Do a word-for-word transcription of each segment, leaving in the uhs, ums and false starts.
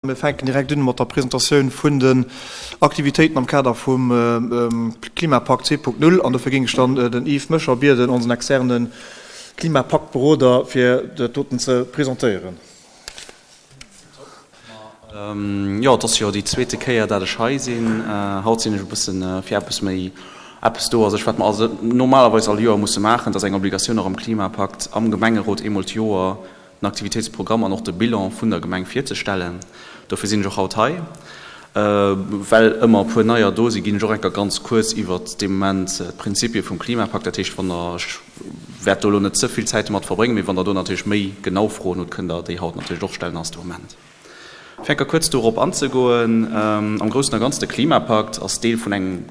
Mir fänken direkt un mat der Presentatioun vun den Aktivitéiten am Kader vum Klimapakt zwee Punkt null. An dofir géing ech dann den Yves Möscher bieden, onsen externe Klimapaktberoder, fir dat doten ze presentéieren. Jo, et ass jo déi zweete Kéier, dat ech hei sinn. Haut sinn ech e bëssen fir eppes méi, eppes do a sech, wat mer normalerweis all Joer musse maachen. Dat ass eng Obligatioun och am Klimapakt, am Gemengerot eemol d'Joer den Aktivitéitsprogramm an och de Bilan vun der Gemeng virzestellen. Dofir sinn ech och haut hei. Well ëmmer e puer Neier do sinn, ginn ech och enker ganz kuerz iwwert dee Moment d'Prinzipie vum Klimapakt. Dat heescht, wann Der, ech wäert do elo net ze vill Zäit domat verbréngen, mee wann Der do natierlech méi genau Froen hutt, kënnt Der déi haut natierlech och stellen, ass de Moment. Fir enker kuerz dorop anzegoen, am Groussen a Ganzen, de Klimapakt ass Deel vun engem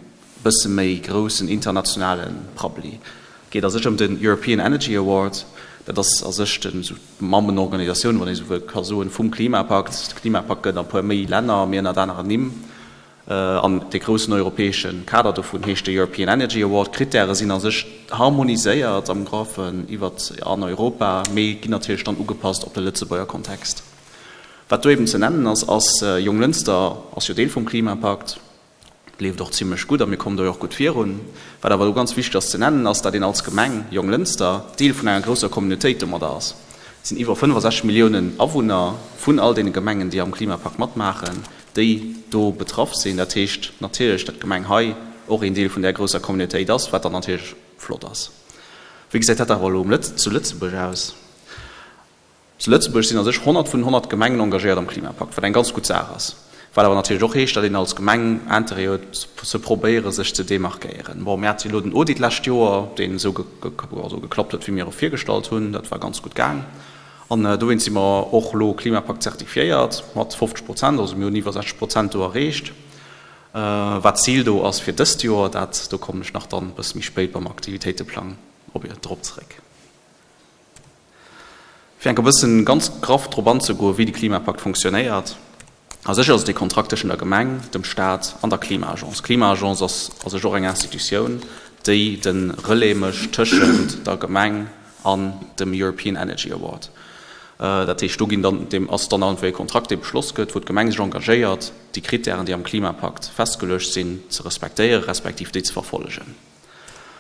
bësse méi groussen internationale Prabbeli. Et geet a sech ëm den European Energy Award. Dat ass a sech den, esou d'Mammenorganisatioun, wann ee esou wëll ka soen, vum Klimapakt. De Klimapakt gëtt a puer méi Länner, mee ënnert aneren Nimm. An dee groussen europäesche Kader dovun heescht de European Energy Award. D'Krittäre sinn a sech harmoniséiert am Groffen iwwert an Europa, mee ginn natierlech dann ugepasst op de Lëtzebuerger Kontext. Wat do eben ze nennen ass, ass, Jonglënster ass jo Deel vum Klimapakt. Leeft och zimlech gutt a mir kommen do jo och gutt virun. Wat awer do ganz wichteg ass ze nennen, ass, datt een als Gemeng Jonglënster Deel vun enger grousser Communautéit domadder ass. Et sinn iwwer fënnefasechzeg Milliounen Awunner vun all deene Gemengen, déi am Klimapakt matmaachen, déi do betraff sinn. Dat heescht natierlech, datt d'Gemeng hei och een Deel vun där grousser Communautéit ass, wat dann natierlech flott ass. Wéi gesäit dat awer elo zu Lëtzebuerg aus? Zu Lëtzebuerg sinn a sech honnert vun honnert Gemengen engagéiert am Klimapakt, wat eng ganz gutt Saach ass. Wat awer natierlech och heescht, datt een als Gemeng Interêt huet, ze probéiere sech ze demarkéieren. Bon, mir hate jo elo den Audit d'lescht Joer, deen esou geklappt huet, wéi mir e virgestallt hunn. Dat war ganz gutt gaang. An dowéinst si mer och elo Klimapakt zertifiéiert mat fofzeg Prozent. Also mir hunn iwwer sechzeg Prozent do erreecht. Wat d'Zil do ass fir dëst Joer, dat, do kommen ech nach dann e bësse méi spéit beim Aktivitéiteplang op drop zeréck. Fir enk e bëssen ganz graff drop anzegoen, wéi de Klimapakt fonctionnéiert, A sech ass et ee Kontrakt tëschent der Gemeng, dem Staat an der Klima-Agence. D'Klima-Agence ass a sech och eng Institutioun, déi de Relais mécht tëschent der Gemeng an dem European Energy Award. Dat heescht, do ginn dann, deem ass dann einfach ee Kontrakt, dee beschloss gëtt, wou d'Gemeng sech engagéiert, déi Krittären, déi am Klimapakt festgeluecht sinn, ze respektéieren, respektiv déi ze verfollegen.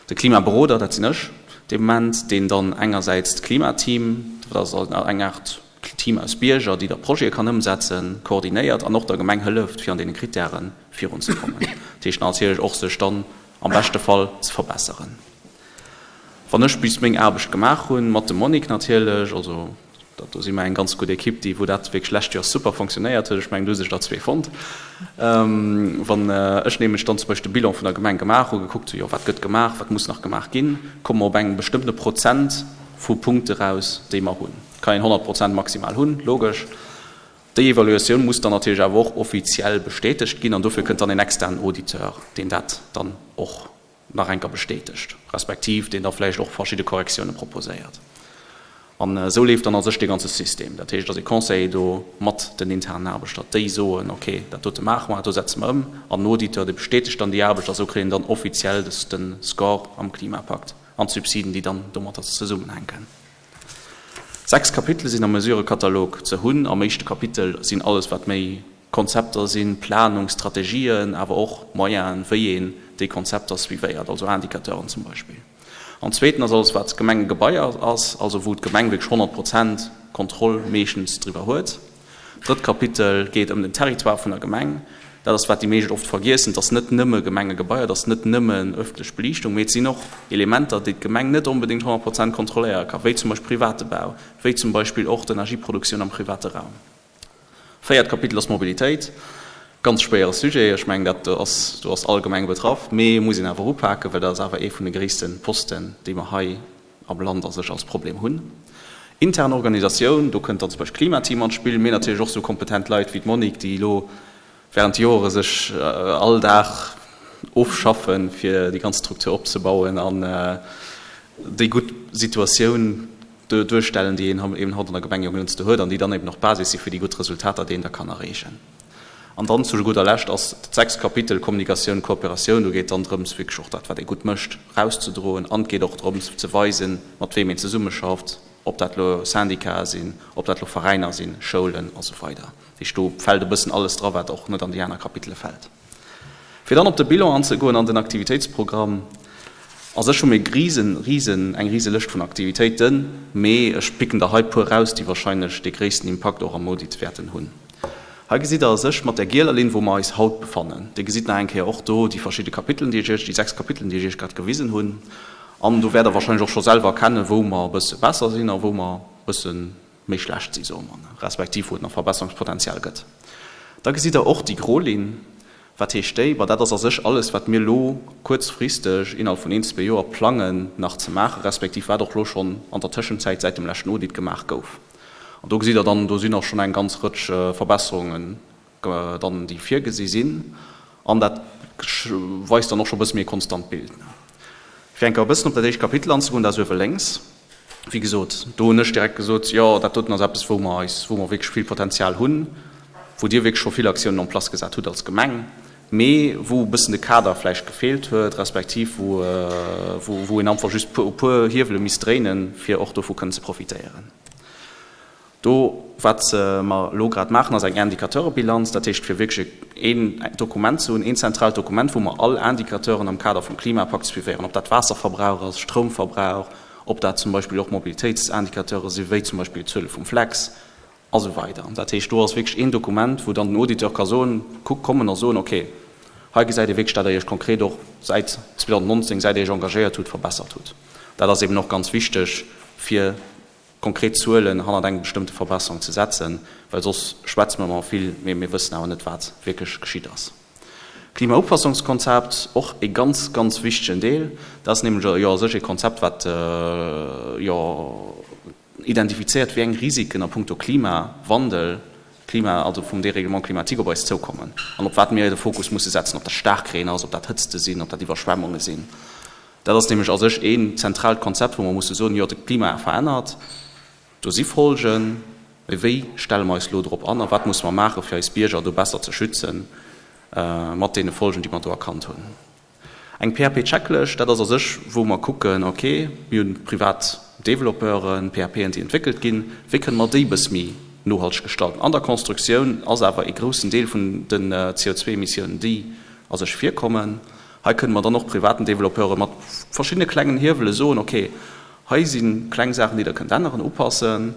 De Klimaberoder, dat sinn ech dee Moment, deen dann engersäits d'Klimateam, dat ass eng Aart Team aus Bierger, déi da Projete kann ëmsetzen, koordinéiert an och der Gemeng hëlleft, fir an deene Krittäre virunzekommen. Dat heescht natierlech och, sech dann am beschte Fall ze verbesseren. Wann ech bis meng Aarbecht gemaach hunn, mat dem Monique natierlech, also Dat do si mer eng ganz gutt Ekipp, déi, wou dat wierklech lescht Joer super fonctionnéiert huet. Ech mengen, do hu sech der zwee fonnt. Wann ech nämlech dann zum Beispill de Bilan vun der Gemeng gemaach hu, gekuckt hu, jo, wat gëtt gemaach, wat muss nach gemaach ginn, komme mer op engem bestëmmtene Prozent vu Punkte raus, déi mer hunn. Et kann een honnert Prozent maximal hunn, logesch. Déi Evaluatioun muss dann natierlech awer och offiziell bestätegt ginn an dofir kënnt dann en externen Auditeur, deen dat dann och nach enker bestätegt, respektiv deen da vläicht och verschidde Korrektioune proposéiert. An esou leeft dann a sech dee ganze System. Dat heescht, et ass ee Conseiller do mat den internen Aarbechter, déi soen, ok, dat dote maache mer, dat do setze mer ëm. An den Auditeur, dee bestätegt dann déi Aarbecht a sou kréien dann offiziell de Score am Klimapakt an d'Subsiden, déi dann domatter zesummenhänken. Sechs Kapitele sinn am Mesurëkatalog ze hunn. Am éischte Kapitel sinn alles, wat méi Konzepter sinn, Planung, Strategien, awer och Moyenen, wéi een déi Konzepter suivéiert, also Indicateuren zum Beispill. An zweeten ass alles wat Gemengegebaier ass, also wou d'Gemeng wierklech honnert Prozent Kontroll meeschtens driwwer huet. Drëtt Kapitel geet ëm den Territoire vun der Gemeng. Dat ass wat déi meescht oft vergiessen, et ass net nëmme Gemengegebaier, et ass net nëmmen ëffentlech Beliichtung, mee et sinn och Elementer, déi d'Gemeng net onbedéngt honnert Prozent kontrolléiere ka, wéi zum Beispill private Bau, wéi zum Beispill och d'Energieproduktioun am private Raum. Véiert Kapitel ass d'Mobilitéit. Ganz schwéiere Sujet. Ech mengen, dat ass, do ass all Gemeng betraff, mee muss een awer upaken, well dat ass awer ee vun de gréisste Posten, déi mer hei am Land a sech als Problem hunn. Intern Organisatioun, do kënnt dann zum Beispill d'Klimateam an d'Spill, mee natierlech och esou kompetent Leit wéi d'Monique, déi elo während Jore sech all Dag ofschaffen, fir déi ganz Struktur opzebauen an déi gutt Situatioun duerstellen, déi een eben haut an der Gemeng Jonglënster huet an déi dann eben och d'Basis si fir déi gutt Resultater, déi een da kann erreechen. An dann zu gudder Lescht ass dat sechst Kapitel Kommunikatioun, Kooperatioun. Do geet et dann drëms, wierklech och dat, wat ee gutt mécht, erauszedroen an et geet och drëms ze weisen, mat weem een zesummeschafft, ob dat elo Syndicae sinn, ob dat elo Veräiner sinn, Schoulen a sou weider. Dat heescht, do fält e bëssen alles dra wat och net an déi aner Kapitele fält. Fir dann op de Bilan anzegoen an den Aktivitéitsprogramm, A sech hu mir risen, risen, eng rise Lëscht vun Aktivitéiten, mee ech picken der hei puer raus, déi wahrscheinlech dee gréissten Impakt och am Audit wäerten hunn. Hei gesitt der a sech mat där gieler Linn, wou mer eis haut befannen. Dir gesitt nach eng Kéier och do déi verschidde Kapitelen, déi ech Iech, déi sechs Kapitelen, déi ech Iech grad gewisen hunn. An do wäert Der wahrscheinlech och scho selwer erkennen, wou mer e bësse besser sinn a wou mer e bësse méi schlecht sinn, soe mer, respektiv wou et nach Verbesserungspotenzial gëtt. Da gesitt Der och déi gro Linn. Wat heescht déi? Ma dat ass a sech alles, wat mir elo kuerzfristeg, innerhalb vun een, zwee Joer, plangen nach ze maachen, respektiv wat och elo schonn an der Tëschenzäit säit dem leschten Audit gemaach gouf. An do gesitt Der dann, do sinn och schonn eng ganz Rëtsch Verbesserungen dann, déi virgesi sinn. An dat weist dann och scho e bësse méi e konstant Bild. Fir eng Kéier e bëssen op dat éischt Kapitel anzegoen, dat ass uewe lénks. Wéi gesot, do hunn ech direkt gesot, jo, dat doten ass eppes, wou mer eis, wou mer wierklech vill Potenzial hunn, wou Dir wierklech scho vill Aktiounen en place gesat hutt als Gemeng, mee wou e bëssen de Kader vläicht gefeelt huet, respektiv wou, wou een einfach just e puer Hiewele misst dréinen, fir och dovu kënnen ze profitéieren. Do, wat mer elo grad maachen, ass eng Indicateurebilanz, dat heescht, fir wierklech een Dokument ze hunn, een zentraalt Dokument, wou mer all Indicateuren am Kader vum Klimapakt suivéieren, ob dat Waasserverbrauch ass, Stroumverbrauch, ob dat zum Beispill och Mobilitéitsindicateure sinn, wéi zum Beispill d'Zuele vum Flex a sou weider. Dat heescht, do ass wierklech een Dokument, wou dann den Auditeur ka soen, kuck, kommen a soen, okay, hei gesäit ee wierklech, dat Der Iech konkret och säit zweedausendnonzéng, säit Der Iech engagéiert hutt, verbessert hutt. Dat ass eben och ganz wichteg, fir konkret Zuelen hannert eng bestëmmte Verbesserung ze setzen, well soss schwätze mer ëmmer vill, mee mir wëssen awer net, wat wierklech geschitt ass. Klimaupassungskonzept, och e ganz, ganz wichtegen Deel. Dat ass nämlech jo a sech e Konzept, wat jo identifizéiert, wéi eng Risiken a puncto Klimawandel, Klima, also vum Dérèglement climatique op eis zoukommen an op wat mir de Fokus musse setzen, ob dat Staarkreen ass, ob dat Hëtzte sinn, ob dat Iwwerschwemmunge sinn. Dat ass nämlech a sech een zentraalt Konzept, wou mer musse soen, jo, de Klima verännert, do si Folgen, mee wéi stelle mer eis elo drop an a wat musse mer maachen, fir eis Bierger do besser ze schützen mat deene Folgen, déi mer do erkannt hunn. Eng P A P-Checklëscht, dat ass a sech, wou mer kucken, okay, mir hunn privat Developpeuren, P A Pen, déi entwéckelt ginn, wéi kënne mer déi e bësse méi nohalteg gestalten? An der Constructioun ass awer ee groussen Deel vun den C O zwei Emissiounen, déi a sech virkommen. Hei kënne mer dann och privaten Developpeure mat verschiddene klengen Hiewele soen, okay, hei si kleng Saachen, déi Der kënnt änneren, upassen,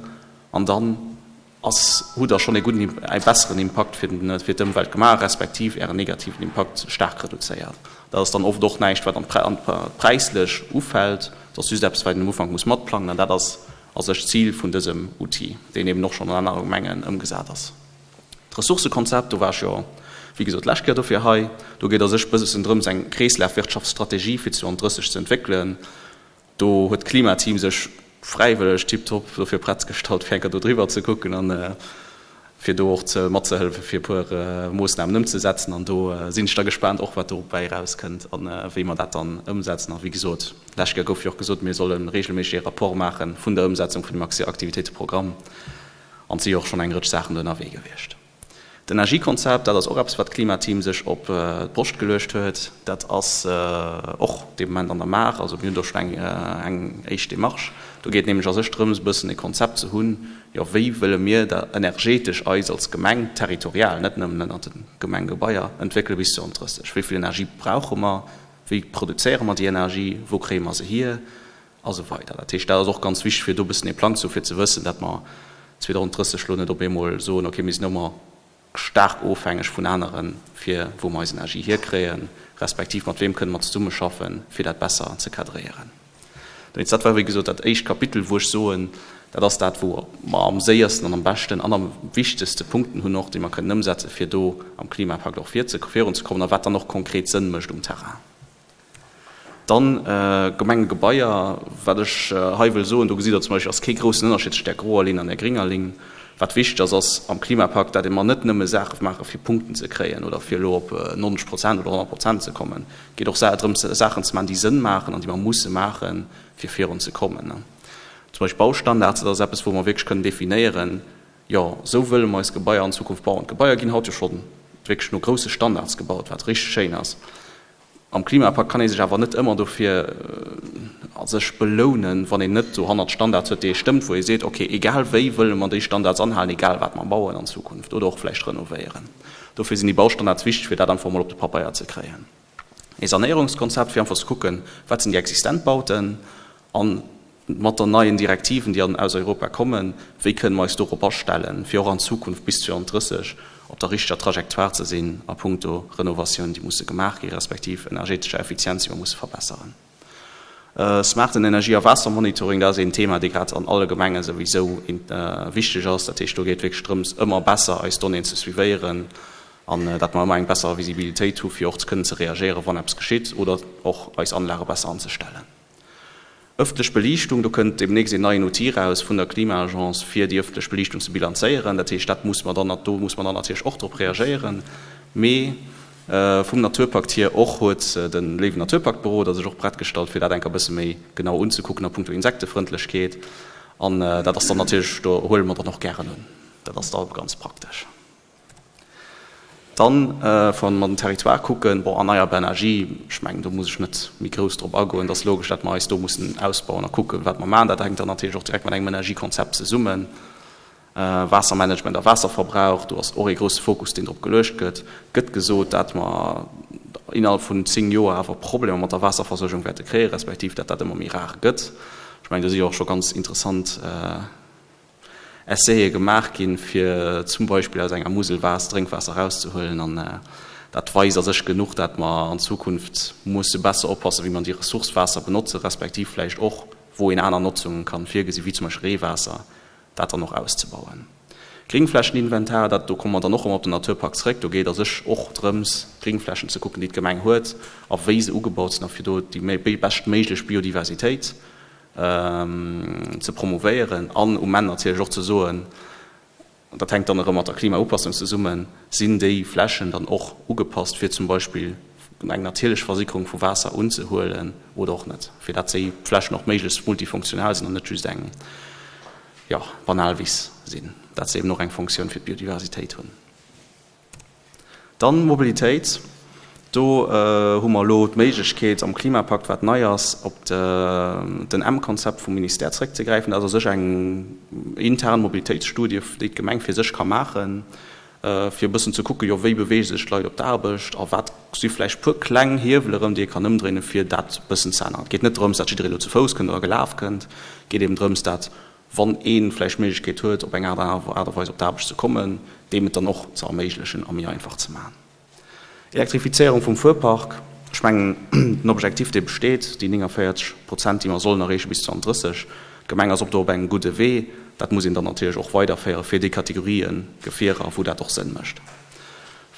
an dann ass, hutt Der schonn ee gudden, ee besseren Impakt fir den, fir d'Ëmwelt gemaach, respektiv Ären negativen Impakt staark reduzéiert. Dat ass dann oft och näischt, wat an präislech ufält, dat ass just eppes, wat een am Ufank muss matplangen, an dat ass a sech d'Zil vun dësem Outil, deen eben och schonn an anere Gemengen ëmgesat ass. D'Ressourcëkonzept, do war ech jo, wéi gesot, d'lescht Kéier dofir hei. Do geet a sech bëssen drëms, eng Kreeslafwirtschaftsstrategie fir zweedausendrësseg ze entwéckelen. Do huet d'Klimateam sech fräiwëlleg tiptop dofir prett gestallt, fir eng Kéier do driwwer ze kucken an fir do och ze matzehëllefen, fir e puer Moossnamen ëmzesetzen. An do sinn ech da gespaant och, wat dobäi erauskënnt a wéi mer dat dann ëmsetzen. A wéi gesot, d'lescht Kéier gouf jo och gesot, mir solle regelméisseg ee Rapport maache vun der Ëmsetzung vun dem Aktivitéiteprogramm. An et si jo och schonn eng Rëtsch Saachen do ënnerwee gewiescht. D'Energiekonzept, dat ass och eppes, wat d'Klimateam sech op d'Broscht geluecht huet. Dat ass och dee Moment an der Maach. Also mir hunn do schonn eng eng éischt Demarche. Do geet et nämlech a sech drëms, e bëssen e Konzept ze hunn, jo, wéi wëlle mir da energetesch eis als Gemeng territorial, net nëmmen ënnert de Gemengegebaier, entwéckele bis zweedausenddrësseg. Wéi vill Energie brauche mer? Wéi produzéiere mer déi Energie? Wou kréie mer se hier? A sou weider. Dat heescht, dat ass och ganz wichteg, fir do e bëssen e Plang ze hu fir ze wëssen, datt mer zweedausendrësseg elo net op eemol soen, okay, mir sinn ëmmer staark ofhängeg vun aneren, fir wou mer eis Energie hierkréien, respektiv mat weem kënne mer zesummeschaffen, fir dat besser ze cadréieren. Dowéinst, dat war wéi gesot dat éischt Kapitel, wou ech soen, dat ass dat, wou mer am séiersten an am beschten an am wichtegste Punkten hunn och, déi mer kënnen ëmsetzen, fir do am Klimapakt och virunzekommen a wat dann och konkret Sënn mécht um Terrain. Dann Gemengegebaier, wat ech hei wëll soen, do gesitt Der zum Beispill, ass kee groussen Ënnerschied tëscht där groer Linn an där gringer Linn. Wat wichteg ass, ass am Klimapakt, dat mer net nëmme Saache maache fir Punkten ze kréien oder fir elo op nonzeg Prozent oder honnert Prozent ze kommen. Et geet och drëms, Saachen ze maachen, déi Sënn maachen an déi mer musse maachen, fir virun ze kommen. Zum Beispill Baustandards, dat ass eppes, wou mer wierklech kënnen definéieren, jo, esou wëlle mer eis Gebaier an Zukunft bauen. D'Gebaier ginn haut jo scho wierklech no grousse Standards gebaut, wat richteg schéin ass. Am Klimapakt kann ee sech awer net ëmmer dofir a sech belounen, wann een net dohannert Standards huet, déi ee stëmmt, wou ee seet, okay, egal wéi wëlle mer déi Standards anhalen, egal wat mer bauen an Zukunft oder och vläicht renovéieren. Dofir sinn déi Baustandards wichteg, fir dat einfach emol op de Pabeier ze kréien. Ee Sanéierungskonzept, fir einfach ze kucken, wat sinn déi existent Bauten a mat der neien Direktiven, déi aus Europa kommen, wéi kënnen mer eis dorop astellen, fir och an Zukunft bis zweedausenddrësseg op der richteger Trajectoire ze sinn a puncto Renovatioun, déi musse gemaach gi respektiv energetescher Effizienz, déi mer musse verbesseren. Smarten Energie a Waassermonitoring, dat ass een Thema, dee grad an alle Gemenge souwisou wichteg ass. Dat heescht, do geet wierklech drëms, ëmmer besser eis Donnéeën ze suivéieren an datt mer ëmmer eng besser Visibilitéit hu fir och ze kënnen ze reagéieren, wann eppes geschitt oder och eis Anlage besser anzestellen. Ëffentlech Beliichtung, do kënnt deemnächst een neien Outil eraus vun der Klima-Agence, fir déi ëffentlech Beliichtung ze bilanzéieren. Dat heescht, dat muss mer dann, do muss mer dann natierlech och drop reagéieren. Mee vum Naturpakt hier och huet de léiwen Naturpaktberoder sech och prett gestallt, fir dat enker e bësse méi genau unzekucken a puncto Insektefrëndlechkeet. An dat ass dann natierlech, do huele mer dann och gären un. Dat ass da ganz praktesch. Dann, wa mer den Territoire kucken, bon, erneierbar Energie, ech mengen, do muss ech net méi grouss drop agoen. Et ass logesch, datt mer eis do mussen ausbauen a kucken, wat mer maachen. Dat hänkt dann natierlech och direkt mat engem Energiekonzept zesummen. Waassermanagement a Waasserverbrauch, do ass och ee grousse Fokus, deen drop geluecht gëtt. Gëtt gesot, dat mer innerhalb vun zéng Joer awer Problemer mat der Waasserversuergung wäerte kréien, respektiv dat dat ëmmer méi rar gëtt. Ech mengen, do si jo och scho ganz interessant Essaie gemaach ginn, fir zum Beispill aus enger Musel Waasser, Drénkwaasser erauszehuelen. An dat weist a sech genuch, dat mer an Zukunft musse besser oppassen, wéi mer déi Ressource Waasser benotzen, respektiv vläicht och, wou een aner Notzungen kann virgesinn, wéi zum Beispill Reewaasser, dat dann och auszebauen. Gringflächeninventar, dat, do komme mer dann och erëm op den Naturpakt zréck, do geet a sech och drëms, d'Gringflächen ze kucken, déi d'Gemeng huet a wéi se ugebaut sinn a fir do déi beschtméiglech Biodiversitéit ze promouvéieren an um Enn natierlech och ze soen, an dat hänkt dann erëm mat der Klimaupassung zesummen, sinn déi Flächen dann och ugepasst, fir zum Beispill eng natierlech Versickerung vu Waasser unzehuelen oder och net, fir dat déi Flächen och méiglechst multifunktional sinn an net just eng, jo, banal Wiss sinn, dat se eben och eng Funktioun fir d'Biodiversitéit hunn. Dann Mobilitéit. Do hu mer elo d'Méiglechkeet am Klimapakt, wat nei ass, op den M-Konzept vum Ministère zréckzegräifen. Dat ass a sech eng intern Mobilitéitsstudie, déi d'Gemeng fir sech ka maachen, fir e bëssen ze kucken, jo, wéi beweege sech d'Leit op d'Aarbecht a wat si vläicht puer kleng Hiewel erëm, déi ee kann ëmdréinen, fir dat e bëssen ze änneren. Et geet net drëms, dat jidderee elo ze Fouss kënnt oder gelaf kënnt. Et geet eben drëms, dat wann ee vläicht d'Méiglechkeet huet, op eng Aart a Weis op d'Aarbecht ze kommen, deem et dann och ze erméiglechen a méi einfach ze maachen. Elektrifizéierung vum Fuerpark, ech mengen, den Objectif, dee besteet, déi nénganvéierzeg Prozent, déi mer sollen erreeche bis zweedausenddrësseg, d'Gemeng ass op do op engem gudde Wee. Dat muss een dann natierlech och weiderféiere fir déi Kategorië Gefierer, wou dat och Sënn mécht.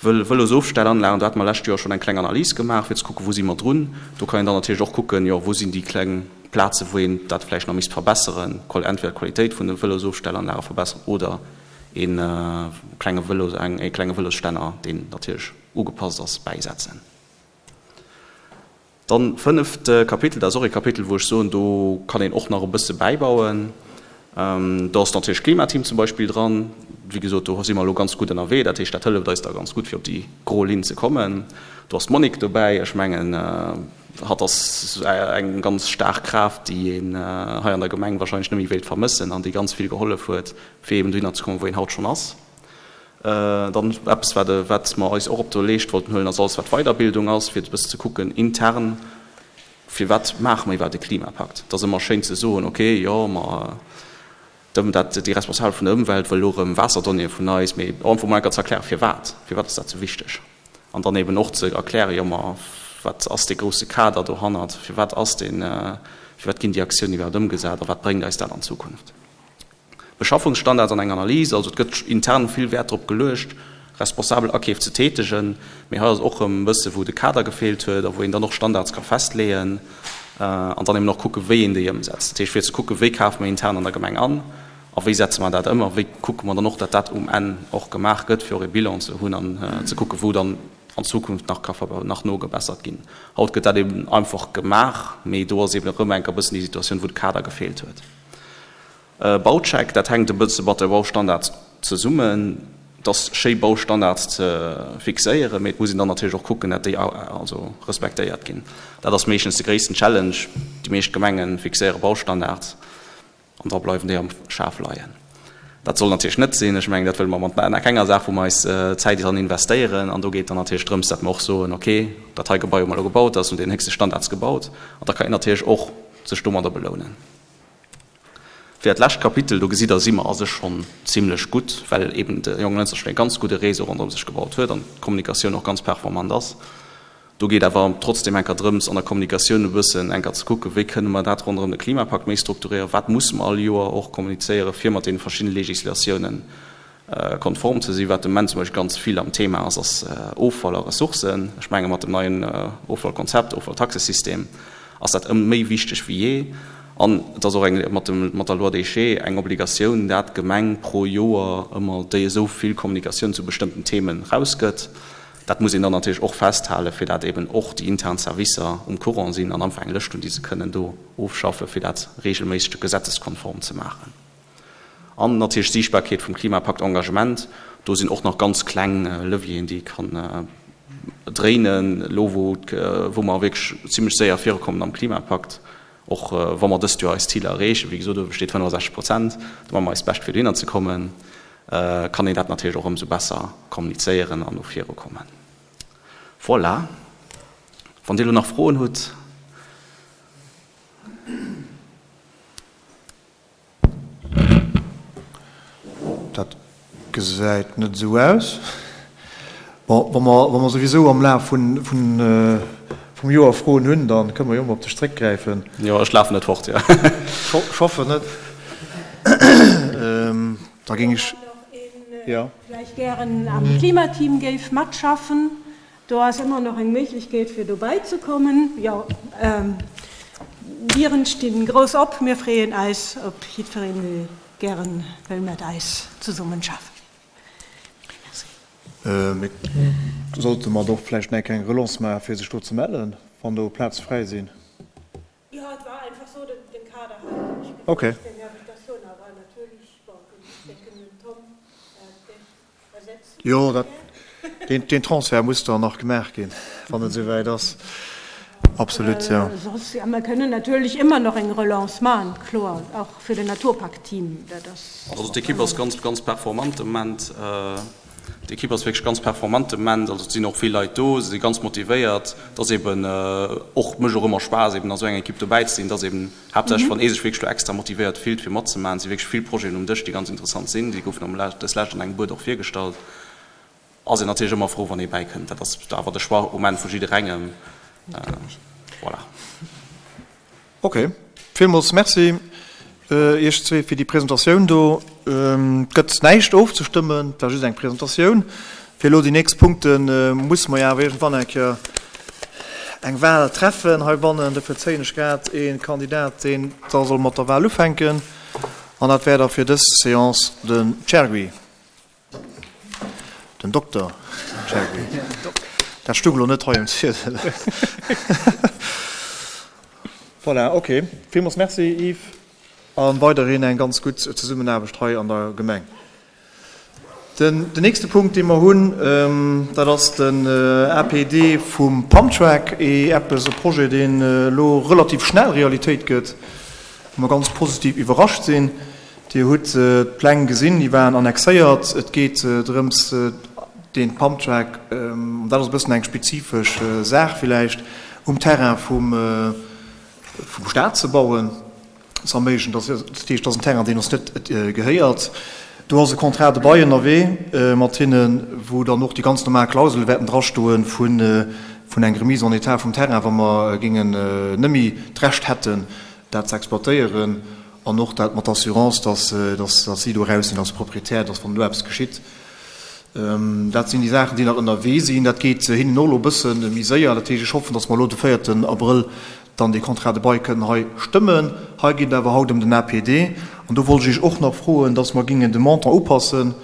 Vëlosofstellanlagen, do hate mer lescht Joer schonn eng kleng Analys gemaach, fir ze kucken, wou si mer drun. Do kann een dann natierlech och kucken, jo, wou sinn déi kleng Plazen, wou een dat vläicht nach misst verbesseren, entweder d'Qualitéit vun de Vëlosofstellanlage verbesseren oder ee klenge Vëlo, ee klenge Vëlosstänner, deen natierlech ugepasst ass, bäisetzen. Dann fënneft Kapitel, dat ass och ee Kapitel, wou ech soen, do kann een och nach e bësse bäibauen. Do ass natierlech d'Klimateam zum Beispill dran. Wéi gesot, do si mer elo ganz gutt ënnerwee. Dat heescht, dat hëlleft eis da ganz gutt, fir op déi gro Linn ze kommen. Do ass d'Monique dobäi. Ech mengen, hatt ass eng ganz staark Kraaft, déi een hei an der Gemeng wahrscheinlech net méi wéilt vermëssen an déi ganz vill gehollef huet, fir eben dohinner ze kommen, wou een haut schonn ass. Dann eppes, wat wat mer eis och op der Leescht wollten huelen, ass alles, wat Weiderbildung ass, fir e bëssen ze kucken intern, firwat maache mer iwwerhaapt e Klimapakt. Et ass ëmmer schéin ze soen, okay, jo, mer, dat, déi Responsabel vun der Ëmwelt wëll elo erëm Waasserdonnéeë vun eis, mee einfach emol eng Kéier ze erklären, firwat, firwat ass dat esou wichteg. An dann eben och ze erklären, jo, ma wat ass dee grousse Kader dohannert, firwat ass deen, firwat ginn déi Aktiounen iwwerhaapt ëmgesat a wat bréngt eis dat an Zukunft. Beschaffungsstandards an eng Analys, also et gëtt intern vill Wäert drop geluecht, responsabel Akeef ze tätegen, mee hei ass och erëm e bësse wou de Kader gefeelt huet a wou een dann och Standards ka festleeën an dann eben och kucken, wéi een déi ëmsetzt. Dat heescht, fir ze kucken, wéi kafe mer intern an der Gemeng an a wéi setze mer dat ëm a wéi kucke mer dann och, datt dat um Enn och gemaach gëtt, fir och e Bilan ze hunn an ze kucken, wou dann an Zukunft nach ka nach nogebessert ginn. Haut gëtt dat eben einfach gemaach, mee do ass eben erëm eng Kéier e bëssen déi Situatioun, wou de Kader gefeelt huet. Baucheck, dat hänkt e bësse mat de Baustandards zesummen. Et ass schéi Baustandards ze fixéieren, mee et muss een dann natierlech och kucken, dat déi also respektéiert ginn. Dat ass meeschtens de gréissten Challenge. Déi meescht Gemenge fixéiere Baustandards an da bleiwen déi am Schaf leien. Dat soll natierlech net sinn. Ech mengen, dat wëlle mer mat kenger Saach, wou mer eis Zäit dran investéieren. An do geet dann natierlech drëms, dat mer och soen, okay, dat hei Gebai hu mer elo gebaut, dat ass no den héchste Standards gebaut. An da kann een natierlech och sech domadder belounen. Fir dat lescht Kapitel, do gesitt Der, si mer a sech schonn zimlech gutt, well eben de Jonglënster schonn e ganz gudde Réseau ronderëm sech gebaut huet an d'Kommunikatioun och ganz performant ass. Do geet awer trotzdem enker drëms, an der Kommunikatioun e bëssen enker ze kucken, wéi kënne mer dat ronderëm de Klimapakt méi strukturéieren, wat musse mer all Joer och kommunizéieren, fir mat deene verschiddene Législatiounen konform ze sinn. Wat de Moment zum Beispill ganz vill am Thema ass, ass Offall a Ressourcen. Ech menge mat dem neien Offallkonzept, Offalltaxesystem, ass dat ëm méi wichteg wéi jee. An et ass och eng, mat dem, mat der Loi Déchets, eng Obligatioun, dat d'Gemeng pro Joer ëmmer déi esou vill Kommunikatioun zu bestëmmten Themen rausgëtt. Dat muss een dann natierlech och festhalen, fir dat eben och déi intern Servicer um Courant sinn an einfach eng Lëscht hunn, déi se kënnen do ofschaffen, fir dat regelméisseg gesetzeskonform ze maachen. An natierlech d'Siichtbarkeet vum Klimapakt Engagement. Do sinn och nach ganz kleng Levieren, déi ee kann dréinen, elo wou, wou mer wierklech zimlech séier virukommen am Klimapakt, och wa mer dëst Joer eis Ziler erreechen, wéi gesot, uewe steet fënnefasechzeg Prozent, do maache mer eist Bescht fir dohinner ze kommen, kann een dat natierlech och ëmsou besser kommunizéieren an no virukommen. Voilà. Wann Dir elo nach Froen hutt. Dat gesäit net esou aus. Bon, wa mer, wa mer souwisou am Laf vun, vun, vum Joer Froen hunn, da kënne mer jo ëmmer op dech zréckgräifen. Jo, ech lafen net fort, jo. Ech hoffen net. Da géing ech, jo. Vläicht gären am Klimateam géif matschaffen. Do ass ëmmer nach eng Méiglechkeet fir dobäi ze kommen. Jo, Dieren stinn grouss op. Mir freeën eis op jiddwereen dee gären wëll mat eis zesummen schaffen. Merci. Mee sollte mer do vläicht nach eng kleng Relance maachen fir sech do ze mellen, wann do Plaze fräi sinn? Jo, et war einfach sou, den Kader hat ech Okay. gefrot wéi Invitatioun, awer natierlech, bon, ech denken den Tom dech ersetzen. Jo, dat, deen, deen Transfert muss dann nach gemaach ginn, wann et esouwäit ass. Absolut, jo. Soss, ja, mer kënnen natierlech ëmmer nach eng Relance maachen, kloer, och fir den Naturpakt-Team, dat ass. Also d'Ekipp ass ganz, ganz performant de Moment. D'Ekipp ass wierklech ganz performant de Moment. Also et sinn och vill Leit do, se si ganz motivéiert. Et ass eben och, mécht och ëmmer Spaass eben a sou enger Ekipp dobäi ze sinn. Et ass eben haaptsächlech wann ee sech wierklech do extra motivéiert fillt fir matzemaachen. Et si wierklech vill Projeten um Dësch, déi ganz interessant sinn. Déi goufen am dës Lescht an engem Buet och virgestallt. Ass een natierlech ëmmer frou wann ee bäikënnt. Dat ass awer de Choix um Enn vu jidderengem. Voilà. Ok, villmools Merci Iech zwee fir déi Presentatioun do. Et gëtt näischt ofzestëmmen, et war just eng Presentatioun. Fir elo déi nächst Punkte musse mer jo awer iergendwann eng Kéier eng Wahl treffen heibannen. Dofir zéien ech grad ee Kandidat, deen da soll mat der Wahl ufänken, an dat wär da fir dës Seance den Chergui. Den Dokter Chergui. Dat stung elo net hei um Ziedel. Voilà, ok. Villmools Merci, Yves, a weiderhin eng ganz gutt Zesummenaarbecht hei an der Gemeng. Den nächste Punkt, dee mer hunn, dat ass den A P D vum Pumptrack, eppes, e Projet, deen elo relativ schnell Realitéit gëtt, wou mer ganz positiv iwwerrascht sinn. Dir hutt d'Pläng gesinn, déi waren annexéiert. Et geet drëms, dee Pumptrack, an dat ass e bëssen eng spezifesch Saach villäicht, um Terrain vum Staat ze bauen, ze erméiglechen. Dat heescht, dat ass en Terrain, deen ons net gehéiert. Do ass e Contrat de bail ënnerwee mat hinnen, wou dann och déi ganz normal Klausele wäerten drastoe vun eng Remise en état vum Terrain, wa mer géingen net méi d'Recht hätten, dat ze exploitéieren, an och dat mat Assurance, dass, dass, dass si do eraus sinn als Proprietär, dass wann do eppes geschitt. Dat sinn déi Saachen, déi nach ënnerwee sinn. Dat geet hinnen och elo e bësse méi séier. Dat heescht, ech hoffen, dass mer elo de véierten Abrëll dann dee Contrat de bail kënnen hei stëmmen. Hei geet et awer haut ëm den A P D. An do wollt ech Iech och nach froen, dass mer gingen de Montant upassen.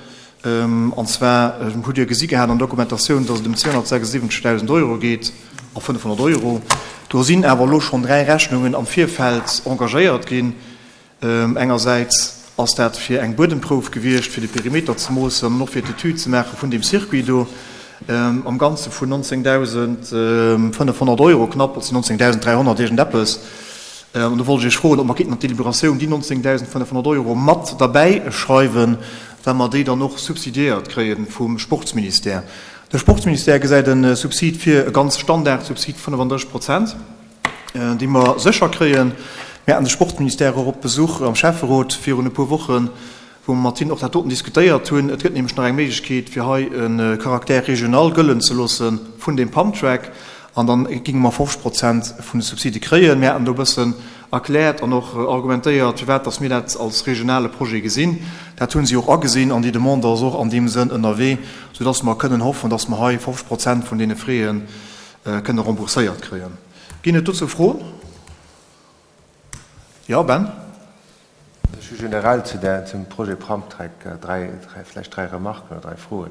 An zwar hutt Dir gesi gehat an der Dokumentatioun, dass et ëm zweehonnertsechsundsiwwenzegdausend Euro geet a fënnefhonnert Euro. Do sinn awer elo schonn dräi Rechnungen am Virfeld engagéiert ginn. Engersäits ass dat fir eng Buedemprouf gewiescht, fir de Perimeter ze moossen an och fir d'Etüd ze maache vun deem Circuit do, am Ganze vun nonzéngdausendfënnefhonnert Euro knapp, et sinn nonzéngdausend dräihonnert iergendeppes. An do wollt ech Iech froen, ob mer kéinten an d'Deliberatioun déi nonzéngdausendfënnefhonnert Euro mat derbäischreiwen, well mer déi dann och subsidiéiert kréie vum Sportsministère. De Sportsministère gesäit e Subsid vir, e ganz Standardsubsid, fënnefandrësseg Prozent, déi mer sécher kréien. Mir haten de Sportsministère och op Besuch am Schäfferot virun e puer Wochen, wou mer mat hinnen och dat doten diskutéiert hunn. Et gëtt nämlech nach eng Méiglechkeet, fir hei e Caractère régional gëllen ze loosse vun deem Pumptrack, an da géinge mer fofzeg Prozent vun de Subside kréien. Mir haten do e bëssen erkläert an och argumentéiert, firwat dass mir dat als regionale Projet gesinn. Dat hu si och agesinn an déi Demande ass och an deem Sënn ënnerwee, soudass mer kënnen hoffen, dass mer hei fofzeg Prozent vun deene Frais kënne rembourséiert kréien. Ginn et dozou Froen? Jo, Ben? Ech hu generell zu der, zum Projet Pumptrack dräi, dräi, vläicht dräi Remarken oder dräi Froen.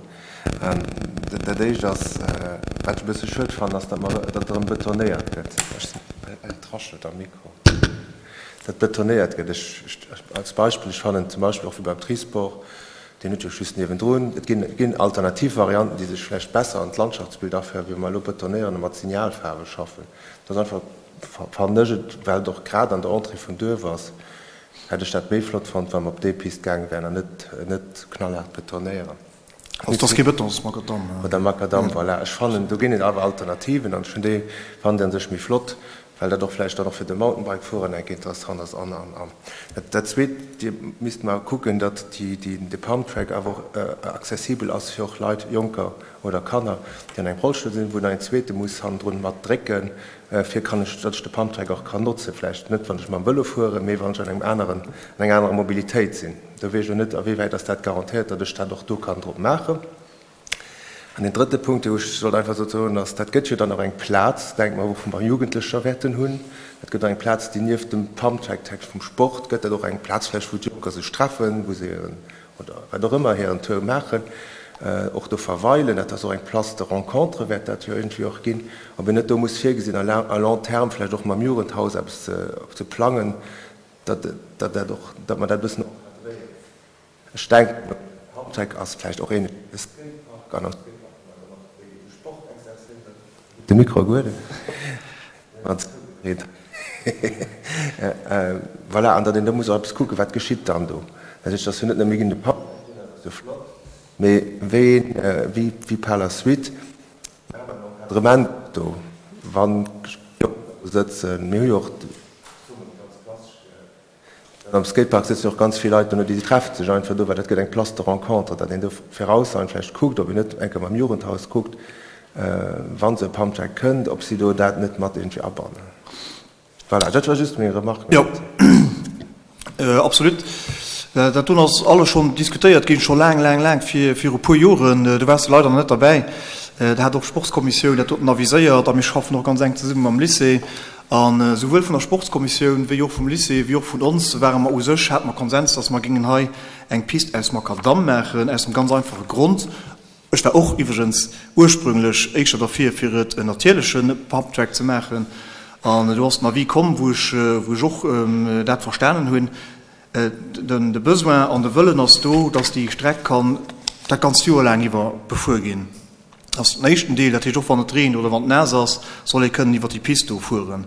Dat Éischt ass, wat ech e bësse schued fannen, ass, datt mer, datt erëm betonéiert gëtt. Et raschelt am Mikro. Datt betonéiert gëtt. Ech, ech, als Beispill, ech fannen zum Beispill och wéi beim Trisport, deen huet jo just niewendrun, et ginn, ginn alternativ Varianten, déi sech vläicht besser an d'Landschaftsbild aféieren, wéi wa mer elo betonéieren a mat Signalfaarwe schaffen. Dat ass einfach, fannen ech et, well et och grad an der Entrée vum Duerf ass, hätt ech dat méi flott fonnt, wa mer op déi Pist gaange wären an net, net knallhaart betonéieren. Also dat ass kee Bëton, dat ass Makadamm. Oder Makadamm, voilà. Ech fannen, do ginn et awer Alternativen an ech hunn déi, fannen déi an sech méi flott, well dat och vläicht dann och fir de Mountainbike-Fuerer enk interessant ass an, an, an. Dat, dat Zweet, Dir misst mar kucken, datt déi, déi, de Pumptrack awer och accessibel ass fir och Leit, Jonker oder Kanner, déi an engem Rollstull sinn, wou dann een Zweete muss hannendrun mat drécken, fir kann ech, datt ech de Pumptrack och kann notzen, vläicht net, wann ech mam Vëlo fueren, mee wann ech an engem aneren, an enger anerer Mobilitéit sinn. Do weess ech elo net, a wéiwäit ass dat garantéiert, datt ech dat och do kann drop maachen. An den drëtte Punkt, dee ech sollt einfach sou soen, ass, dat gëtt jo dann och eng Plaz, denke mer, wou mer Jugendlecher wäerten hunn. Dat gëtt och eng Plaz, déi nieft dem Pumptrack vum Sport gëtt dat och eng Plaz vläicht, wou d'Jonker sech treffen, wou se hiren, oder wat och ëmmer, hiren Tour maachen, och do verweilen. Dat ass och eng Place de rencontre wäert dat jo iergendwéi och ginn. Ob een net do muss virgesinn, à long terme vläicht och mam Jugendhaus eppes ze, ze plangen, datt, datt dat och, datt mer dat e bëssen encadréieren. Ech denken, Pumptrack ass vläicht och een Skatepark an am Skatepark kann man dann och de Sport exerzéieren. De Mikro gueden. Voilà, an datt een do muss och eppes kucken, wat geschitt dann do. Dat heescht, dass jo net nëmme ginn de Pumptrack ginn, dat ass jo flott, mee wéi, wéi, wéi par la suite Encadrement do, wann Jonker do sëtzen. Mir hu jo och ganz klassesch, am Skatepark sëtzen jo och ganz vill Leit do, déi treffen sech einfach do, well dat gëtt eng Place de rencontre, datt een do virausschauend vläicht kuckt, ob een net eng Kéier mam Jugendhaus kuckt, wann se e Pumptrack kënnt, ob si do dat net mat irgendwie abannen. Voilà, dat war just meng Remarque. Jo, absolut. Dat doen ass alles schonn diskutéiert ginn, scho laang, laang, laang vir, viru puer Joren. Do waars de leider nach net derbäi. Da hat och d'Sportskommissioun dat doten aviséiert a mir schaffen och ganz enk zesumme mam Lycée. An esouwuel vun der Sportskommissioun wéi och vum Lycée wéi och vun ons ware mer u sech, hate mer Konsens, dass mer géingen hei eng Pist aus Makadamm maachen, aus dem ganz einfache Grond, ech war och iwwregens ursprünglech éischter derfir, fir et en natierleche Pumptrack ze maachen, an do ass den Avis komm, wou ech, wou ech och dat verstanen hunn, den, de Besoin an de Wëllen ass do, dass déi Streck kann dat ganzt Joer laang iwwer befuer ginn. Dat ass den éischten Deel, dat heescht och wann et reent oder wann et naass ass, soll ee kënnen iwwer déi Pist do fueren,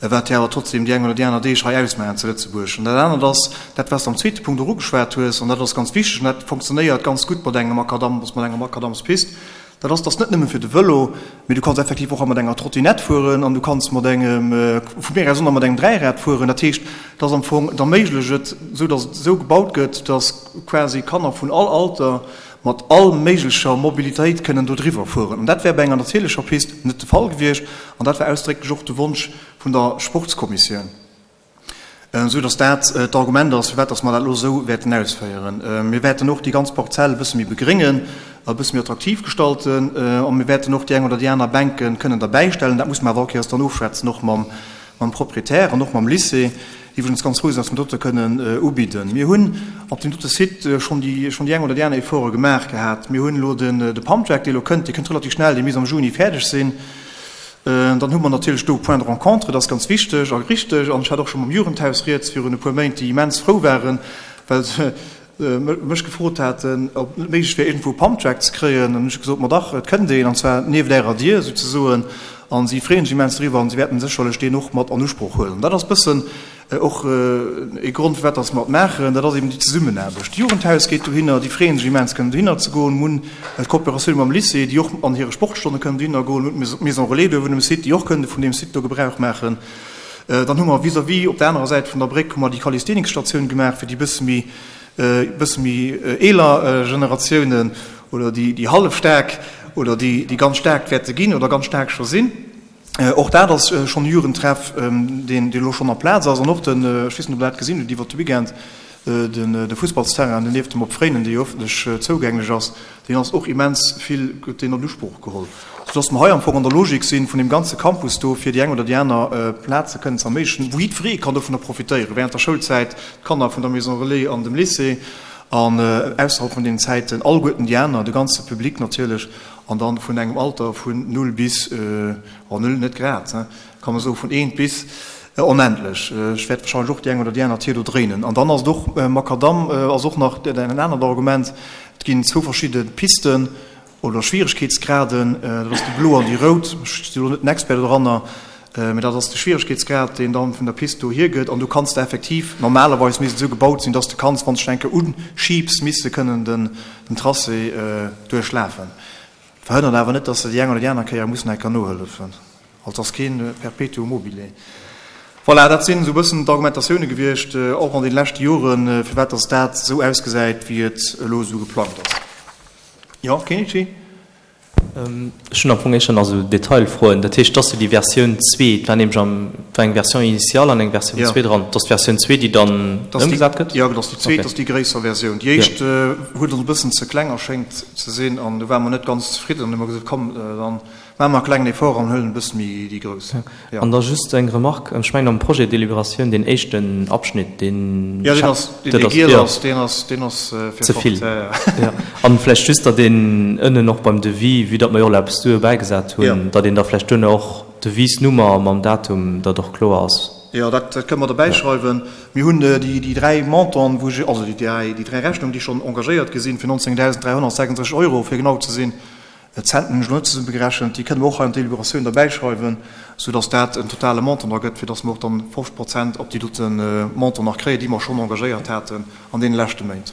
wat jo awer trotzdem déi eng oder déi aner Deeg hei ausmaachen zu Lëtzebuerg. An dat anert ass dat, wat s de am zweete Punkt och ugeschwat hues, an dat ass ganz wichteg an dat funktionéiert ganz gutt mat engem Makadamm, mat enger Makadammspist, dat ass, dass net nëmme fir de Vëlo, mee du kanns effektiv och mat enger Trottinett fueren an du kanns mat engem, vu mir aus och nach mat engem Dräirad fueren. Dat heescht, dass am Fong et erméiglecht et, esou dass et esou gebaut gëtt, dass quasi Kanner vun all Alter mat all méiglecher Mobilitéit kënnen do driwwer fueren. An dat wär bei enger natierlecher Pist net de Fall gewiescht an dat war ausdrécklech och de Wonsch vun der Sportskommissioun, esou dass dat d'Argument ass, firwat dass mer dat elo esou wäerten ausféieren. Mir wäerten och déi ganz Parzell e bësse méi begréngen, e bësse méi attraktiv gestalten a mir wäerten och déi eng oder déi aner Bänke kënnen derbäistellen. Dat muss mer awer all Kéiers dann ofschwätzen, och mam mam Proprietär an och mam Lycée. Iwwregens ganz frou sinn, dass mer dote kënnen ubidden. Mir hunn op deem dote Site schonn déi schonn déi eng oder déi aner Efforte gemaach gehat. Mir hunn elo den de Pumptrack, dee elo kënnt, dee kënnt relativ schnell, dee misst am Juni fäerdeg sinn. Dann hu mer natierlech do Point de rencontre, dat ass ganz wichteg a richteg. An ech hat och scho mam Jugendhaus rieds virun e puer Méint, déi immens frou waren, well se mech gefrot haten, ob et net méiglech wär, iergendwou e Pumptrack ze kréien. An hunn ech gesot, ma dach, et kënnt een, an zwar nieft Ärer Dier souzesoen. A si freeën sech immens driwwer an si wäerten sécherlech deen och mat an Usproch huelen. Dat ass e bëssen och ee Grond, firwat dass mer et maachen, dat ass eben déi Zesummenaarbecht. D'Jugendhaus geet dohinner, déi freeën sech immens, kënnen dohinner ze goen. Mir hunn d'Kooperatioun mam Lycée, déi och an hire Sportstonne kënnen dohinner goen. Mir hunn d'Maison Relais do uewen um Site, déi och kënnen vun deem Site do Gebrauch maachen. Dann hu mer vis-à-vis op der anerer Säit vun der Bréck hu mer déi Calisthenics-Statioun gemaach fir déi bësse méi, bësse méi eeler Generatiounen oder déi, déi hallef staark oder déi, déi ganz staark wäerte ginn oder ganz staark scho sinn. Och dat ass schonn e Jugendtreff, deen elo schonn a Plaz ass. An och den, ech weess net, ob Der dat gesinn hutt iwwert de Weekend, de Fussballsterrain deen nieft dem Op Fréinen, dee jo ëffentlech zougänglech ass, deen ass och immens vill, gëtt deen an Usproch geholl. Soudass mer hei am Fong an der Logik sinn vun deem ganze Campus do, fir déi eng oder déi aner Plaz ze kënnen ze erméiglechen, wou jiddweree kann dovunner profitéieren, während der Schoulzäit, d'Kanner vun der Maison Relais an dem Lycée, an ausserhalb vun deenen Zäiten alleguerten déi aner, de ganze Public natierlech. An dann vun engem Alter vun null bis, oh null net grad, kann man soen, vun eent bis onendlech. Ech wäert wahrscheinlech och déi eng oder déi aner Tier do dréinen. An dann ass et och, Makadamm ass och nach en anert Argument, et ginn zwou verschidde Pisten oder Schwieregkeetsgraden, dat ass déi blo an déi rout. Ech sinn elo net den Expert doranner, mee dat ass de Schwieregkeetsgrad, deen dann vun der Pist do hiergëtt. An du kanns de effektiv, normalerweis misst et esou gebaut sinn, dass de kanns, wann s de dech eng Kéier unschiebs, misst de kënnen den Tracé duerchlafen. Verhënnert awer net, dass se déi eng oder déi aner Kéier mussen eng Kéier nohëllefen. Also ass kee Perpetuum mobile. Voilà, dat sinn esou e bëssen d'Argumentatioune gewiescht, och an deene leschte Joren, firwat dass dat esou ausgesäit, wéi et elo esou geplangt ass. Jo, Kenichi? Ech hunn am Fong éischter nach esou Detailfroen. Dat heescht, dass jo déi Versioun zwee, et war nämlech am, et war eng Version initiale an eng Versioun zwee dran, et ass d'Versioun zwee, déi dann ëmgesat gëtt? Jo, et ass déi zweet, dat ass déi gréisser Versioun. Déi éischt huet ons e bëssen ze kleng erschéngt ze sinn an do ware mer net ganz zefridden an hu mer gesot, komm, da maache mer e klengen Effort an huelen e bësse méi déi grouss. Jo. An da just eng Remarque, ech mengen am Projet Délibératioun, deen éischten Abschnitt, deen. Jo, deen ass, deen dee giel ass, deen ass, deen ass fir Ze vill. Jo. An vläicht just, datt een ënnen och beim Devis, vue datt mer jo och elo eppes duer bäigesat hunn, datt een da vläicht duerno och d'Devisnummer mam Datum, datt och kloer ass. Jo, dat kënne mer dobäischreiwen. Mir hunn déi déi dräi Montanten, wou ech, also déi dräi, déi dräi Rechnungen, déi schonn engagéiert gi sinn, fir nonzéngdausend dräihonnertsechsunddrësseg Euro, fir genau ze sinn, D'Centen hunn ech elo net zesummegerechent, déi kënne mer och hei an d'Deliberatioun derbäischreiwen, soudass dat en totale Montant da gëtt, fir dass mer och dann fofzeg Prozent op déi dote Montant nach kréien, déi mer schonn engagéiert haten an deene leschte Méint.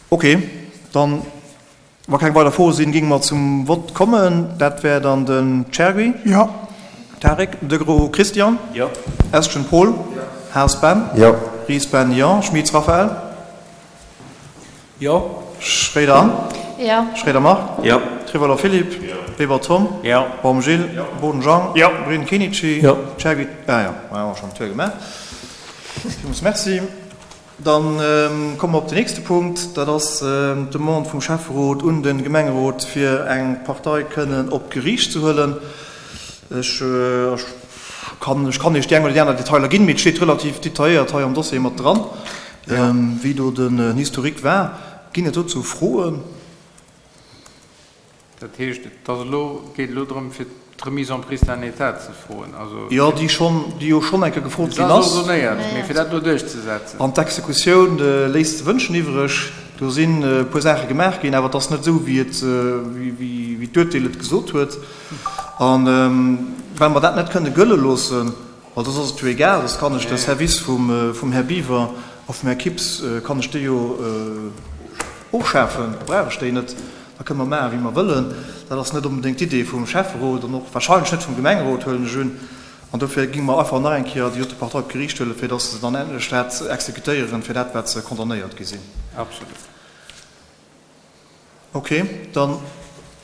Okay, dann, wa keng weider Froe sinn, géinge mer zum Vott kommen. Dat wär dann den Chergui. Jo. Tarek, Degros Christian. Jo. Estgen Paul. Jo. Haas Ben. Jo. Ries Ben, jo. Schmitz Raphaël. Jo. Schréider Anne. Jo. Schréider Marc. Jo. Trivaler Philippe. Jo. Weber Tom. Jo. Baum Gilles. Jo. Boden Jean. Jo. Brun Kenichi. Jo. Chergui, ah jo, hu mer schonn d'Tour gemaach. Villmools Merci. Dann komme mer op den nächste Punkt. Dat ass d'Demande vum Schäfferot un de Gemengerot, fir eng Partei kënnen op d'Geriicht ze huelen. Ech kann ech kann Iech déi eng oder déi aner Detailer ginn, mee et steet relativ detailléiert hei am Dossier mat dran, wéi do den Historique war. Ginn et dozou Froen? Dat heescht, et ass elo, geet elo drëm, fir d'Remise en pristin état ze froen, also. Jo, déi schonn, déi jo schonn eng Kéier gefrot ginn ass. Se ass ordonnéiert, mee fir dat elo duerchzesetzen. An d'Exekutioun léisst ze wënschen iwwreg. Do sinn e puer Saache gemaach ginn, awer et ass net esou, wéi et, wéi d'Urteel et gesot huet. A well mer dat net kënne gëlle loossen, well soss ass et jo egal, soss kann ech de Service vum Här Biwer a vum Här Kips, kann ech déi jo ofschafen, da brauch ech déi net, da kënne mer maachen, wéi mer wëllen. Dat ass net onbedéngt d'Idee vum Schäfferot an och wahrscheinlech net vum Gemengerot, huelen ech un. An dofir géinge mer einfach nach eng Kéier déi dote Partei op d'Geriicht huelen, fir datt se dann endlech dat exekutéieren, fir dat, wat se condamnéiert gi sinn. Absolut. Ok, da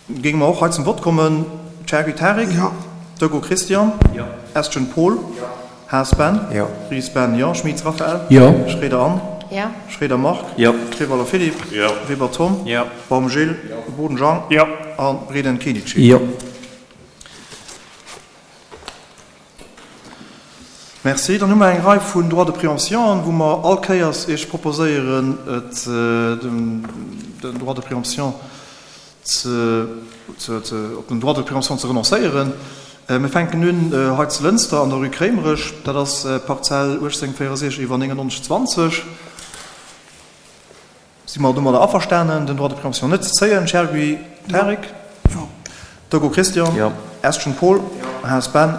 géinge mer och hei zum Vott kommen. Chergui Tarik? Jo. Doggo Christian? Jo. Estgen Paul? Jo. Haas Ben? Jo. Ries Ben, jo. Schmitz Raphaël? Jo. Schroeder Anne? Jo. Schroeder Marc? Jo. Trevaler Philippe? Jo. Weber Tom? Jo. Baum Gilles? Jo. Boden Jean? Jo. A Breden Kenichi? Jo. Merci. Dann hu mer eng Rei vun Droits de préemption, wou mer all Kéiers Iech proposéieren, et den Droit de préemption ze, ze, op den Droit de préemption ze renoncéieren. Mir fänken un hei zu Lënster an der Rue Kréimerech. Dat ass d'Parzell uechtzéng véierundsechzeg iwwer néngennonzeg zwanzeg. Si mer domadder averstanen, den Droit de préemption net ze zéien? Chergui Tarik? Jo. Dogo Christian? Jo. Estgen Paul? Jo. Haas Ben?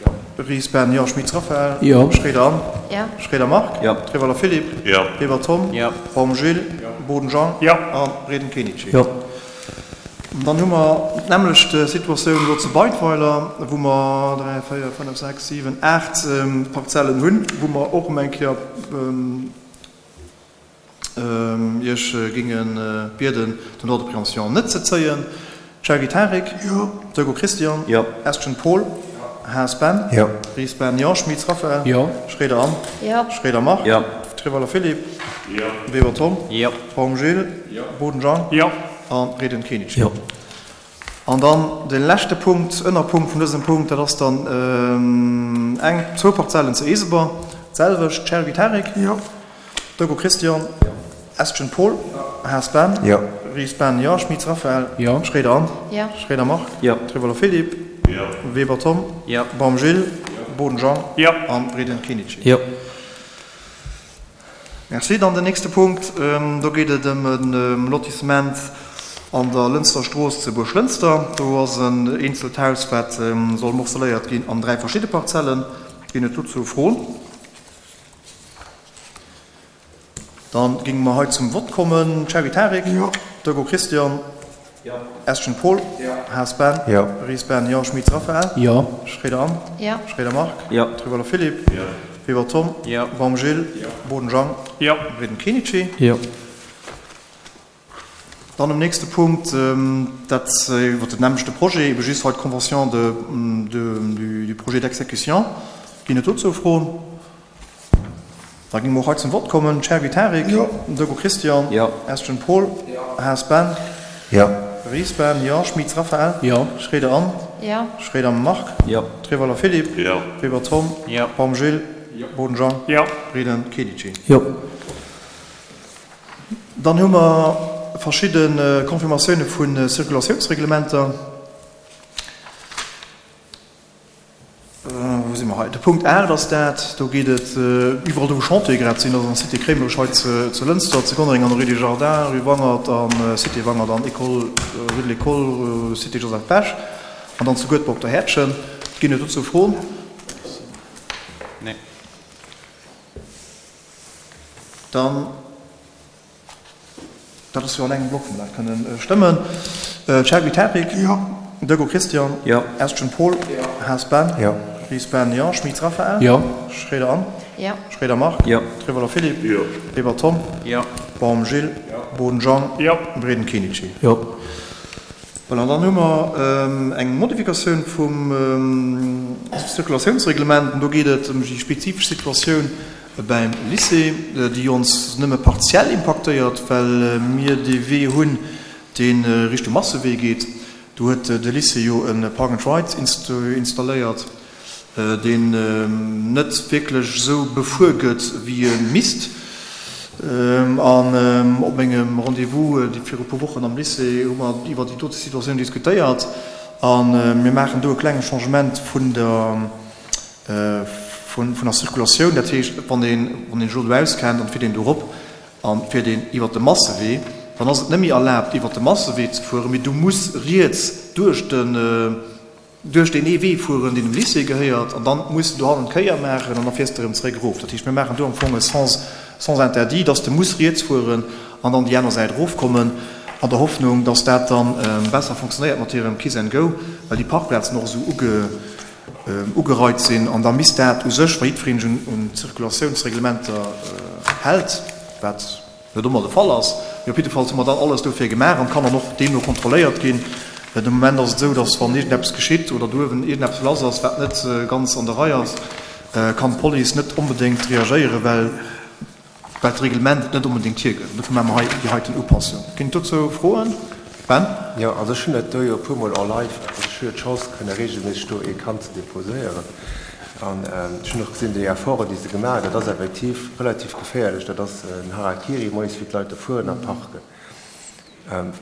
Jo. Ries Ben? Jo. Schmitz Raphaël? Jo. Schroeder Anne? Jo. Schroeder Marc? Jo. Treweiler Philippe? Jo. Weber Tom? Jo. Baum Gilles? Jo. Boden Jean? Jo. A Reding Kenichi? Jo. Dann hu mer d'nämmlecht Situatioun elo zu Beidweiler, wou mer dräi, véier, fënnef, sechs, siwen, aacht Parzellen hunn, wou mer och erëm eng Kéier Iech géinge bieden, den Droit de préemption net ze zéien. Chergui Tarik? Jo. Deugo Christian? Jo. Estgen Paul? Haas Ben? Jo. Ries Ben? Jo. Schmitz Raphaël? Jo. Schroeder Anne? Jo. Schroeder Marc? Jo. Treweiler Philippe? Jo. Weber Tom? Jo. Baum Gilles? Jo. Boden Jean? Jo. A Reding Kenichi. Jo. An dann de leschte Punkt, Ënnerpunkt vun dësem Punkt, dat ass dann eng, zwou Parzellen zu Eeseber, d'selwecht, Chergui Tarik? Jo. Dogo Christian? Jo. Estgen Paul? Jo. Haas Ben? Jo. Ries Ben? Jo. Schmitz Raphaël? Jo. Schroeder Anne? Jo. Schroeder Marc? Jo. Treweiler Philippe? Jo. Weber Tom? Jo. Baum Gilles? Jo. Boden Jean? Jo. An Reding Kenichi? Jo. Merci. Dann den nächste Punkt, do geet et ëm e Lotissement an der Lënster Strooss zu Buerglënster. Do ass en eenzelt Haus, wat soll morceléiert ginn an dräi verschidde Parzellen. Ginn et dozou Froen? Dann géinge mer hei zum Vott kommen. Chergui Tarik? Jo. Dogo Christian? Jo. Estgen Paul? Jo. Haas Ben? Jo. Ries Ben? Jo. Schmitz Raphaël? Jo. Schroeder Anne? Jo. Schroeder Marc? Jo. Treweiler Philippe? Jo. Weber Tom? Jo. Baum Gilles? Jo. Boden Jean? Jo. Reding Kenichi? Jo. Dann um nächste Punkt, dat iwwer den nämmlechte Projet, ebe just hei d'Convention de, de, du projet d'exécution. Ginn et dozou Froen? Da géinge mer och hei zum Vott kommen. Chergui Tarik? Jo. Dogo Christian? Jo. Estgen Paul? Jo. Haas Ben? Jo. Ries Ben? Jo. Schmitz Raphaël? Jo. Schroeder Anne? Jo. Schroeder Marc? Jo. Treweiler Philippe? Jo. Weber Tom? Jo. Baum Gilles? Jo. Boden Jean? Jo. Reding Kenichi? Jo. Dann hu mer verschidde Confirmatioune vu Circulatiounsreglementer. Wou si mer hei? De Punkt aacht ass dat. Do geet et iwwerall do, wou Chantiere grad sinn, also an Cité Kréimerech hei zu Lënster, zu Gonnereng an der Rue des Jardins, Rue Wangert an Cité Wangert an École, Rue de l'École, Cité Joseph Bech an dann zu Guedber op der Häerdchen. Ginn et dozou Froen? Nee. Dann, dat ass jo an engem Block, wou mer dat kënnen stëmmen. Chergui Tarik? Jo. Dogo Christian? Jo. Estgen Paul? Jo. Haas Ben? Jo. Ries Ben? Jo. Schmitz Raphaël? Jo. Schroeder Anne? Jo. Schroeder Marc? Jo. Treweiler Philippe? Jo. Weber Tom? Jo. Baum Gilles? Jo. Boden Jean? Jo. Reding Kenichi? Jo. Voilà, an dann hu mer eng Modifikatioun vum Circulatiounsreglement. An do geet et ëm déi spezifesch Situatioun beim Lycée, déi ons nëmme partiell impaktéiert, well mir dee Wee hunn, dee Richtung Massewee geet. Do huet de Lycée jo e Park and Ride installéiert, deen net wierklech esou befuer gëtt, wéi e misst. An op mengem Rendez-vous viru e puer Wochen am Lycée hu mer iwwer déi dote Situatioun diskutéiert. A mir maachen do e klenge Changement vun der, vun der Circulatioun. Dat heescht, wann een, wann een elo do auskennt an et fiert een do erop an et fiert een iwwer de Massewee, dann ass et net méi erlaabt, iwwer de Massewee ze fueren, mee du muss riets duerch den, duerch deen ee Wee fueren, deen dem Lycée gehéiert, an dann muss de dohannen d'Kéier maachen an da fiers de erëm zeréck erof. Dat heescht, mir maachen do am Fong e Sens, sens interdit, dass de muss riets fueren an dann déi aner Säit erofkommen, an der Hoffnung, dass dat dann besser fonctionnéiert mat hirem Kiss and Go, well déi Parkplazen och esou uge, ugereit sinn. An da misst dat u sech, wa jiddwereen sech un d'Zirkulatiounsreglementer hält, wat net ëmmer de Fall ass, mee op jiddefalls hu mer dann alles dofir gemaach an kann dann och deemno kontrolléiert ginn. De Moment ass et esou, datt wann iergendeppes geschitt oder do uewen iergendeppes lass ass, wat net ganz an der Rei ass, kann d'Police net onbedéngt reagéieren, well well d'Reglement et net onbedéngt hiergëtt. Dofir maache mer hei déi heiten Upassung. Ginn et dozou Froen? Ben? Jo, also ech hunn dat do jo e puermol en live, also ech hu jo d'Chance kënne regelméisseg do ee Kand ze déposéieren. An ech hunn och gesinn, déi Efforten, déi se gemaach hunn, dat ass effektiv relativ geféierlech. Dat ass en Harakiri moies, wéi d'Leit do fueren a parken.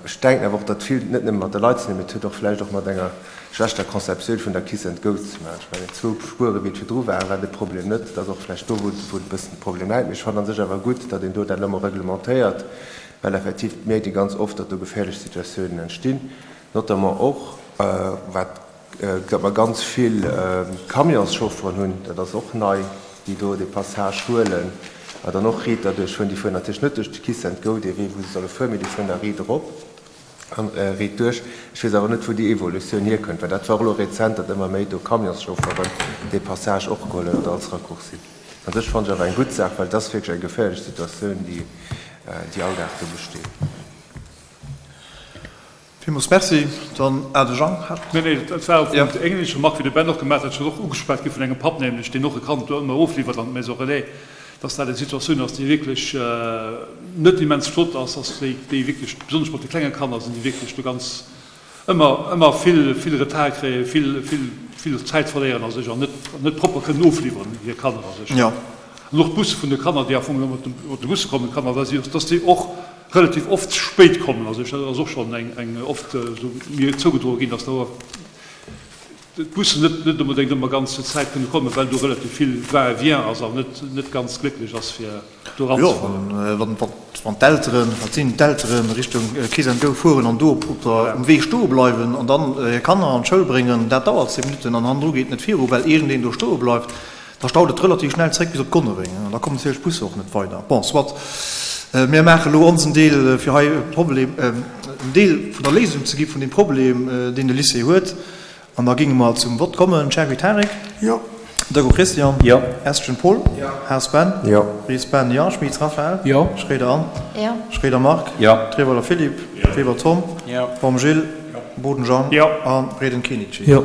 Ech denken awer och, datt vill net nëmme mat de Leit ze dinn huet, mee et huet och vläicht och mat enger schlechter Conceptioun vun der Kiss and Go ze maachen. Ech mengen, zwou Spuere wéi et virdru waren, war de Problem net. Et ass och vläicht do, wou e bëssen de Problem läit. Mee ech fannen a sech awer gutt, datt een do dat elo emol reglementéiert, well effektiv mierkt ee ganz oft, datt do geféierlech Situatiounen entstinn, notamment och wat datt mer ganz vill Camionschaufferen hunn, dat ass och nei, déi do dee Passage huelen a dann och riit derduerch fueren. Déi fueren natierlech net duerch de Kiss and Go, dee Wee, wou se solle fueren, mee déi fueren da riit erop an riit duerch. Ech weess awer net, wou déi Evolutioun hierkënnt, well dat war och elo rezent, datt ëmmer méi do Camionschaufferen dee Passage och geholl hunn oder als Raccourci. An sech fannen ech awer eng gutt Saach, well et ass wierklech eng geféierlech Situatioun, déi déi all Dag do besteet. Villmools Merci. Dann Ade Jang hat. Nee, nee, dat war op eng ähnlech Remarque wéi de Ben och gemaach huet, dat ass och ugeschwat gi vun engem Papp nämlech, deen och e Kand do ëmmer ofliwwert an d'Maison Relais, dass dat eng Situatioun ass, déi wierklech net immens flott ass, dass déi, déi wierklech, besonnesch mat de klenge Kanner, sinn déi wierklech do ganz ëmmer, ëmmer vill, vill Retard kréien, vill, vill, vill Zäit verléieren a sech an net, net propper kënnen ofliwweren, hir Kanner a sech. An och d'Busse vun de Kanner, déi am Fong mat de Busse kommen, d'Kanner, dass déi och relativ oft spéit kommen. Also dat ass och schonn eng eng oft esou mir zougedroe ginn, dass do d'Bussen net net onbedéngt ëmmer ganz zur Zäit kënne kommen, well do relativ vill Va-et-vient ass an net net ganz glécklech ass fir do eranzefannen. Jo, wann wann d'Elteren, wat sinn d'Elteren, Richtung Kiss and Go fueren an do op der um Wee stoe bleiwen an dann hir Kanner an d'Schoul bréngen, dat dauert zéng Minutten an hannendru geet net viru well iergendeen do stoe bleift. Da staut et relativ schnell zréck bis op Gonnereng an da kommen natierlech d'Busser och net weider. Bon, soit, mir maache elo onsen Deel, fir hei e Problem, en Deel vun der Léisung ze gi vun deem Problem, deen de Lycée huet. An da géinge mer zum Vott kommen. Cherry Tarek? Jo. Deco Christian? Jo. Estgen Paul? Jo. Haas Ben? Jo. Ries Ben? Jo. Schmitz Raphaël? Jo. Schroeder Anne? Jo. Schroeder Marc? Jo. Treweiler Philippe? Jo. Weber Tom? Jo. Baum Gilles? Jo. Boden Jean? Jo. A Reding Kenichi? Jo.